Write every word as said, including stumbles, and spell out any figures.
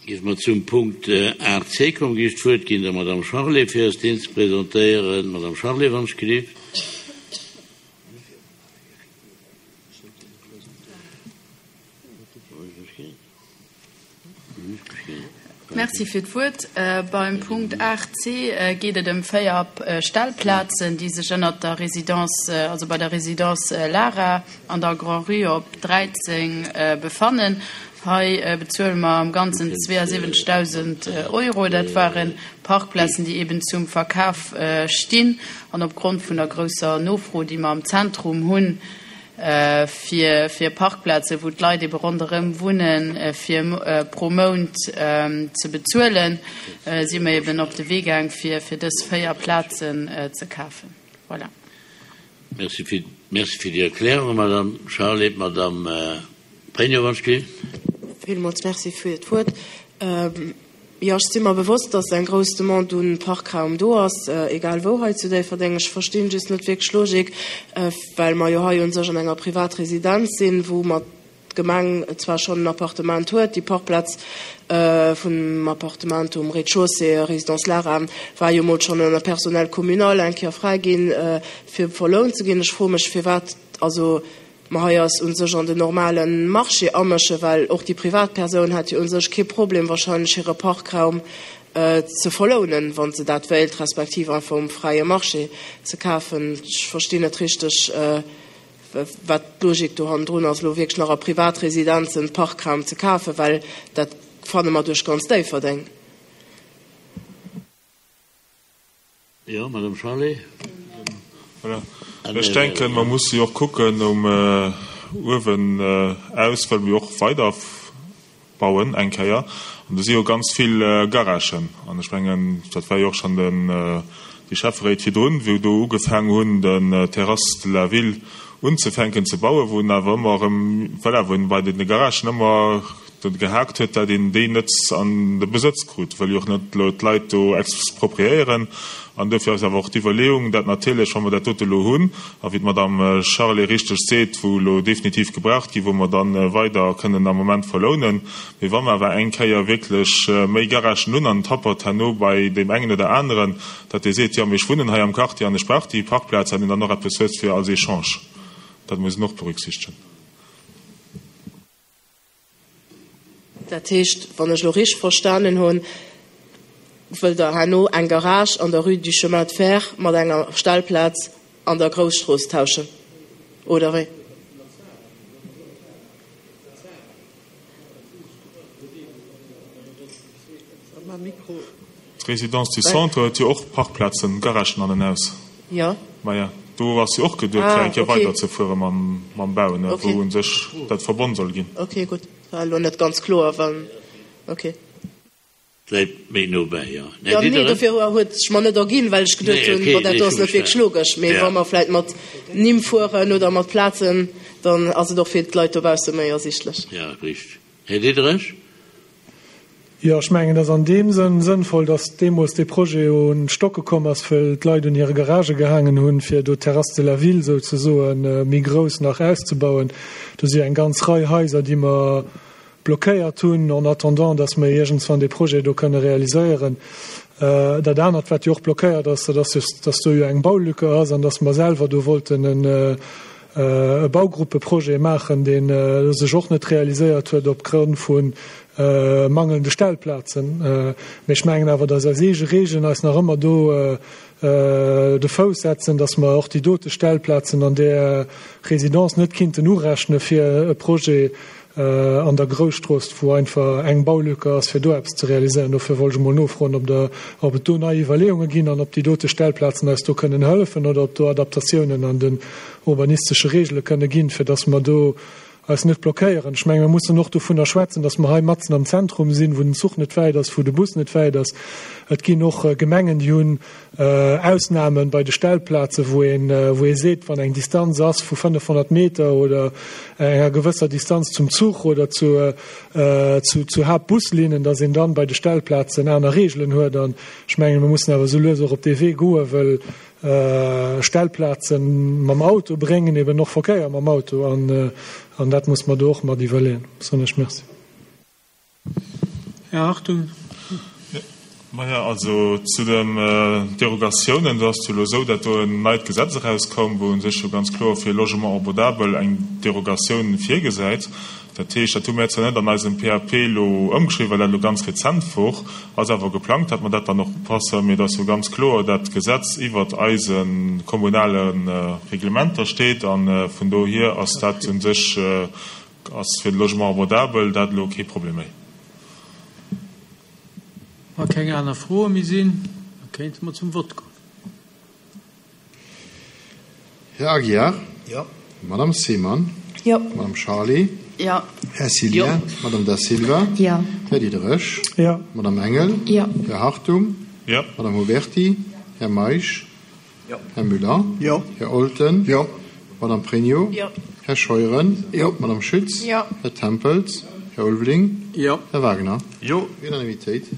Géife mer zum Punkt aacht C kommen, géif ech d'Wuert ginn der Madame Charlé, fir eis deen ze presentéieren. Madame Charlé, wann ech gelift. Merci fir d'Wuert. Beim Punkt aacht C geet et ëm véier Stellplazen, déi sech ënnert der Résidence, also bei der Résidence Lara an der Grand-Rue op dräizéng befannen. Hei bezuele mer am Ganzen zweeënsiwwenzegdausend Euro. Dat ware Parkplazen, déi eben zum Verkaf stinn. An opgrond vun der grousser Nofro, déi mer am Zentrum hunn, fir, fir Parkplazen, wou d'Leit ebe ronderëm wunnen, fir pro Mount ze bezuelen, si mer eben op de Wee gaang, fir, fir dës véier Plazen ze kafen. Voilà. Merci fir, merci fir déi Erklärung, Madame Charlé. Madame Pregno, wann ech gelift. Villmools Merci fir d'Wuert. Jo, ech si mer bewosst, dass eng grouss Demande un Parkraum do ass, egal wou hei zu Déifferdeng. Ech verstinn just net wierklech d'Logik, well mer jo hei u sech an enger Privatresidenz sinn, wou mer d'Gemeng zwar schonn en Appartement huet, déi Parkplaz vum Appartement um Rez-de-chaussée, Résidence Lara, war jo mol schonn ënner Personnel communal eng Kéier fräi ginn, fir verlount ze ginn. Ech froe mech, firwat, also mer hei eis u sech an den normale Marché amëschen, well och déi Privatpersoun hätt jo u sech kee Problem wahrscheinlech hire Parkraum ze verlounen, wa se dat wéilt, respektiv einfach um fräie Marché ze kafen. Ech verstinn net richteg, wat d'Logik do hannendrun ass, elo wierklech nach a Privatresidenzen Parkraum ze kafen, well dat fanne mer duerch ganz Déifferdeng. Jo, Madame Charlé. Voilà. Ech denken, mer musse jo och kucken um uewen aus, well mir jo och weider bauen eng Kéier. An do si jo ganz vill Garagen. An ech mengen, dat war jo och schonn den, déi Schäfferéit virdrun, wou do ugefaangen hunn, den Terrasse de la Ville unzefänken ze bauen, wou en awer ëmmer erëm, voilà, wou en bei deene Garagen ëmmer do gehaakt huet, dat een déi net an de Besëtz krut, wëll jo och net elo d'Leit do expropriéieren. An dofir ass awer och d'Iwwerleeung, dat natierlech, wa mer dat dote elo hunn, a wéi d'Madame Charlé richteg seet, wou elo definitiv gebraucht ginn, wou mer da weider kënnen am Moment verlounen, mee wa mer awer eng Kéier wierklech méi Garagen hunn an et happert herno bei deem engen oder aneren, dat dee seet, jo, mee ech wunnen hei am Quartier an ech brauch déi Parkplaz, dat een dann och eppes huet fir als Echange. Dat muss een och berücksichtegen. Dat heescht, wann ech elo richteg verstanen hunn, wëllt Der herno eng Garage an der Rue du Chemin de Fer mat enger Stellplaz an der Grousstrooss tauschen, oder wéi? D'Résidence du Centre huet jo och Parkplazen, Garagen an en aus. Jo. Maja, do ass jo och geduet, fir eng Kéier weiderzefuere mam Bauen, wou u sech dat verbonn soll ginn. Okay, gutt. War elo net ganz kloer, wann, okay. Läit méi no bäi, jo. Jo, nee, dofir huet sech mer net erginn, well ech geduet hunn, bon, dat do ass net wierklech logesch. Mee wa mer vläicht mat Nimm fueren oder mat Plazen, dann ass et och fir d'Leit dobausse méi ersichtlech. Jo, richteg. Här Diderich? Jo, ech mengen, et ass an deem Sënn sënnvoll, datt deemools dee Projet un d'Stocke komm ass, wëll d'Leit un hire Garagë gehaangen hunn, fir do d'Terrasse de la Ville souzesoe méi grouss nach auszebauen. Do si jo eng ganz Rei Haiser, déi mer blockéiert hunn, en attendant, datt mer iergendswann dee Projet do kënne realiséieren. Dat anert, wat jo och blockéiert ass, dat ass jo, datt do jo eng Baulücke ass an datt mer selwer do wollten e Baugruppeprojet maachen, dee sech och net realiséiert huet opgrond vu mangelnde Stellplazen. Mee ech mengen awer, datt eis eege Regeln eis nach ëmmer do de Fouss setzen, datt mer och déi dote Stellplazen an där Résidence net kinnten urechne fir e Projet an der Grousstrooss, wou einfach eng Baulücke ass, fir do eppes ze realiséieren. Dofir wollt ech emol nofroen, ob der, ob et do nei Iwwerleeunge ginn an ob déi dote Stellplazen eis do kënnen hëllefen oder ob do Adaptatiounen an den urbanistesche Regele kënne ginn, fir datt mer do eis net blockéieren. Ech mengen, mir mussen och dovunner schwätzen, datt mer hei matzen am Zentrum sinn, wou den Zuch net wäit ass, wou de Bus net wäit ass. Et ginn och Gemengen, déi hunn Ausnahmen bei de Stellplazen, wou een, wou ee seet, wann eng Distanz ass vu fënnefhonnert Meter oder enger gewësser Distanz zum Zuch oder zu, zu, zu Haaptbuslinnen, datt een dann bei de Stellplazen aner Regelen huet. An ech mengen, mir mussen awer esou lues och op dee Wee goen, well Stellplazen mam Auto bréngen eben och Verkéier mam Auto an, an dat muss mer do och mat iwwerleeën. Soen ech Merci. Här Hartung. Maja, also zu den Derogatiounen, do ass et jo elo esou, dat do en neit Gesetz erauskoum, wou u sech jo ganz kloer fir Logement abordable eng Derogatioun virgesäit. Dat heescht, dat hu mir zwar net an eisem P A P elo ëmgeschriwwen, well dat elo ganz rezent wor, ass awer geplangt, dat mer dat dann och upassen, mee et ass jo ganz kloer, dat d'Gesetz iwwert eise kommunale Reglementer steet a vun dohier ass dat u sech, ass fir de Logement abordable dat elo kee Problem méi. Wa keng aner Froe méi sinn, da kéinte mer zum Vott goen. Här Aguiar? Jo. Madame Seemann? Jo. Madame Charlé? Jo. Här Cillien? Jo. Madame Da Silva? Jo. Här Diderich? Jo. Madame Engel? Jo. Här Hartung? Jo. Madame Huberty? Här Meisch? Jo. Här Müller? Jo. Här Olten? Jo. Madame Pregno? Jo. Här Scheuren? Jo. Madame Schütz? Jo. Här Tempels? Här Ulveling? Jo. Här Wagner? Jo. Unanimitéit.